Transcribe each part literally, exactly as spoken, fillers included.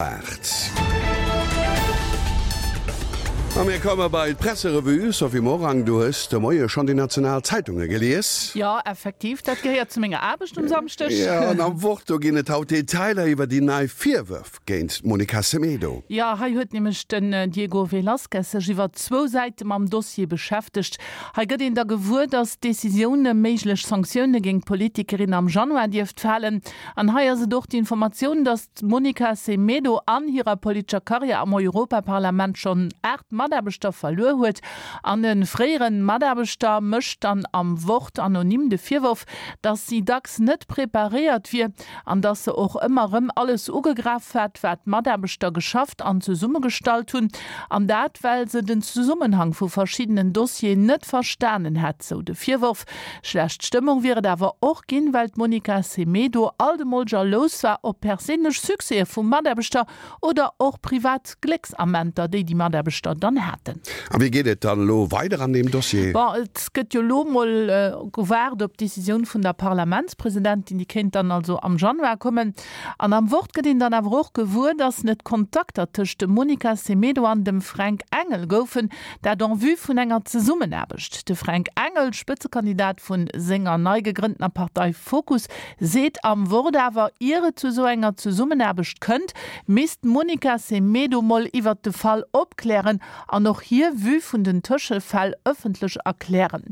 Aacht. A mir komme bei d'Presserevue. Sophie Morang, du hues de Moie schonn déi national Zeitunge gelies. Jo, effektiv, dat gehéiert zu menger Aarbecht um Samschdeg. Jo, an am Wort, do ginn et haut Detailer iwwer déi nei Virwërf géint d'Monica Semedo. Jo, hei huet nämlech den Diego Velázquez sech iwwer zwou Säite mam Dossier beschäftegt. Hei gëtt een da gewuer, datt d'Decisioun ëm méiglech Sanktioune géint d'Politikerin am Januar dierft falen. An hei ass et och d'Informatioun, datt d'Monica Semedo an hirer politescher Karriär am Europaparlament schonn aacht Mataarbechter verluer huet. An e fréiere Mataarbechter mécht dann am Wort anonym de Virworf, datt si dacks net preparéiert wier an datt se och ëmmer erëm alles ugegraff hätt, wat d'Mataarbechter geschafft an zesummegestallt hunn. An dat, well se den Zesummenhang vu verschiddenen Dossieren net verstanen hätt, sou de Virworf. Schlecht Stëmmung wier et awer och ginn, well d'Monica Semedo alt emol jalous war op perséinlech Succèse vu Mataarbechter oder och privat Glécksamenter, déi déi Mataarbechter dann haten. A wéi geet et dann elo weider an deem Dossier? Bon, et gëtt jo elo mol gewaart op d'Decisioun vun der Parlamentspresidentin. Déi kéint dann also am Januar kommen. An am Wort gëtt een dann awer och gewuer, datt net Kontakter tëscht dem Monica Semedo an dem Fränk Engel goufen, dat en vue vun enger Zesummenaarbecht. De Fränk Engel, Spëtzekandidat vu senger nei gegrënntener Partei Fokus, seet am Wort awer, ier et zu esou enger Zesummenaarbecht kënnt, misst d'Monica Semedo mol iwwert de Fall opklären an och hir Vue vun den Tëschefäll ëffentlech erklären.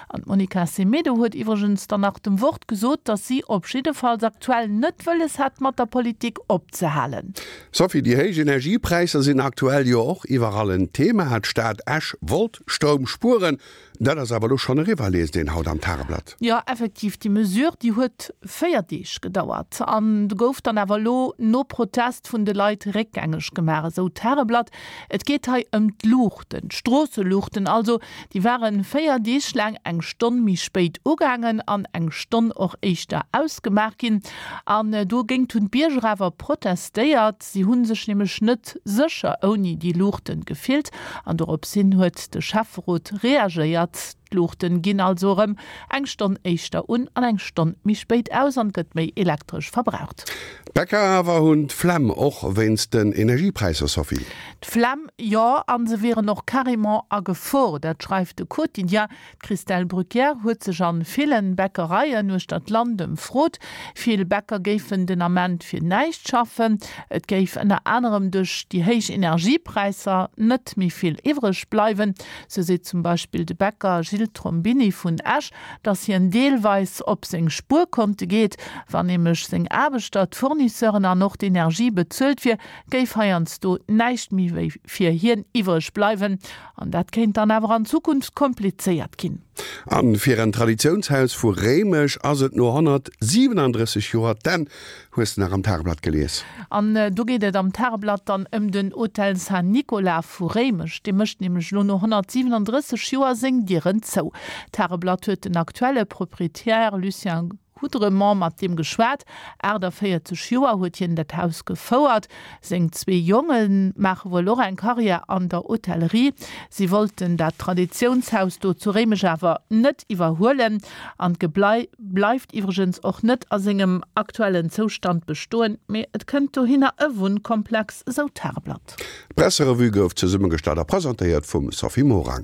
An d'Monica Semedo huet iwwregens dann nach dem Wort gesot, datt si op jiddefalls aktuell net wëlles hätt, mat der Politik opzehalen. Sophie, déi héich Energiepräisser sinn aktuell jo och iwwerall en Thema. D'Stad Esch wollt Stroum spueren, dat ass awer elo schonn eriwwer, liest een haut am Tageblatt. Jo, effektiv, déi Mesure, déi huet véier Deeg gedauert an gouf dann awer elo no Protest vun de Leit réckgängeg gemaach, esou d'Tageblatt. Et geet hei ëm d'Luuchten, d'Stroosseluuchten also. Déi ware véier Deeg laang eng Stonn méi spéit ugaangen an eng Stonn och éischter ausgemaach ginn. An dogéint hunn d'Bierger awer protestéiert. Si hu sech nämlech net sécher ouni déi Luuchten gefillt an dorops hin huet de Schäfferot reagéiert. D'Luuchten ginn also erëm eng Stonn éischter un an eng Stonn méi spéit aus an et gëtt méi Elektresch verbraucht. D'Bäcker awer hunn d'Flemm, och wéinst den Energiepräisser, Sophie? D'Flemm jo, an se wieren och carrément a Gefor. Dat schreift de Quotidien. D'Christelle Bruquière huet sech an villen Bäckereien uechter d'Land ëmfrot. Vill Bäcker géifen den Ament fir näischt schaffen. Et géif ënner anerem duerch déi héich Energiepräisser net méi vill iwwreg bleiwen. Sou seet zum Beispill de Bäcker Gilles Trombini vun Esch, datt hien deelweis op seng Spuerkonte geet. Wann nämlech seng Aarbechter, d'Fournisseuren an och d'Energie bezuelt wier, géif heiansdo näischt méi wéi fir hien iwwreg bleiwen. An dat kéint dann awer an Zukunft komplizéiert ginn. A fir en Traditiounshaus vu Réimech ass et no honnertsiwenandrësseg Joer d'Enn, hues de nach am Tageblatt gelies. An do geet et am Tageblatt dann ëm den Hotel Saint-Nicolas vu Réimech. Dee mécht nämlech elo no honnertsiwenandrësseg Joer seng Dieren zou. D'Tageblatt huet den aktuelle Proprietär Lucien Houdremont mat deem geschwat. Aachtavéierzeg Joer huet hien dat Haus gefouert. Seng zwee Jonge maache wuel och eng Karriär an der Hotellerie. Si wollten dat Traditiounshaus do zu Réimech awer net iwwerhuelen. An d'Geblai bleift iwwregens och net a sengem aktuellen Zoustand bestoen, mee et kënnt dohinner e Wunnkomplex, esou d'Tageblatt. D'Presserevue gouf zesummegestallt a presentéiert vum Sophie Morang.